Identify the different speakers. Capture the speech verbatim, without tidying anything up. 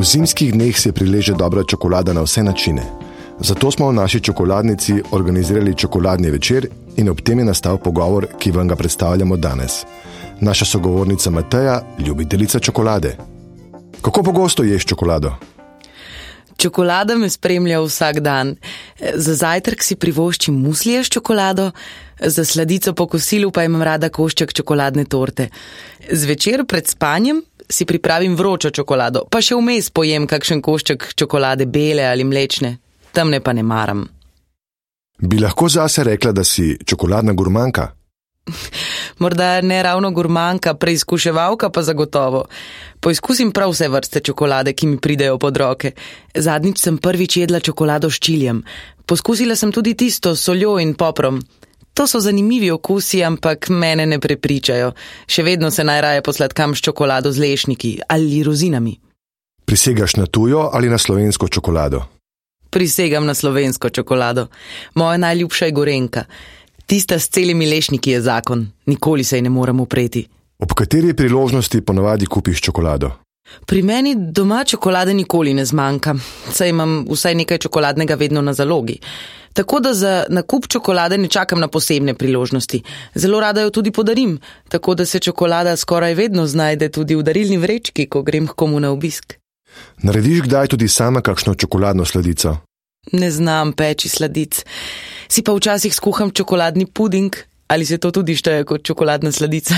Speaker 1: V zimskih dneh se prileže dobra čokolada na vse načine. Zato smo v naši čokoladnici organizirali čokoladni večer in ob tem je nastal pogovor, ki vam ga predstavljamo danes. Naša sogovornica Mateja, ljubiteljica čokolade. Kako pogosto ješ čokolado?
Speaker 2: Čokolada me spremlja vsak dan. Za zajtrk si privoščim muslije s čokolado, za sladico po kosilu pa imam rada košček čokoladne torte. Zvečer pred spanjem si pripravim vročo čokolado, pa še vmes pojem kakšen košček čokolade bele ali mlečne. Temne pa ne maram.
Speaker 1: Bi lahko zase rekla, da si čokoladna gurmanka?
Speaker 2: Morda ne ravno gurmanka, preizkuševalka pa zagotovo. Poizkusim prav vse vrste čokolade, ki mi pridejo pod roke. Zadnjič sem prvič jedla čokolado s čilijem. Poskusila sem tudi tisto s soljo in poprom. To so zanimivi okusi, ampak mene ne prepričajo. Še vedno se najraje posladkam s čokolado z lešniki ali rozinami.
Speaker 1: Prisegaš na tujo ali na slovensko čokolado?
Speaker 2: Prisegam na slovensko čokolado. Moja najljubša je gorenka. Tista s celimi lešniki je zakon. Nikoli se ji ne morem upreti.
Speaker 1: Ob kateri priložnosti ponavadi kupiš čokolado?
Speaker 2: Pri meni doma čokolade nikoli ne zmanjka, saj imam vsaj nekaj čokoladnega vedno na zalogi. Tako da za nakup čokolade ne čakam na posebne priložnosti. Zelo rada jo tudi podarim, tako da se čokolada skoraj vedno znajde tudi v darilni vrečki, ko grem k komu na obisk.
Speaker 1: Narediš kdaj tudi sama kakšno čokoladno sladico?
Speaker 2: Ne znam peči sladic. Si pa včasih skuham čokoladni puding, ali se to tudi šteje kot čokoladna sladica?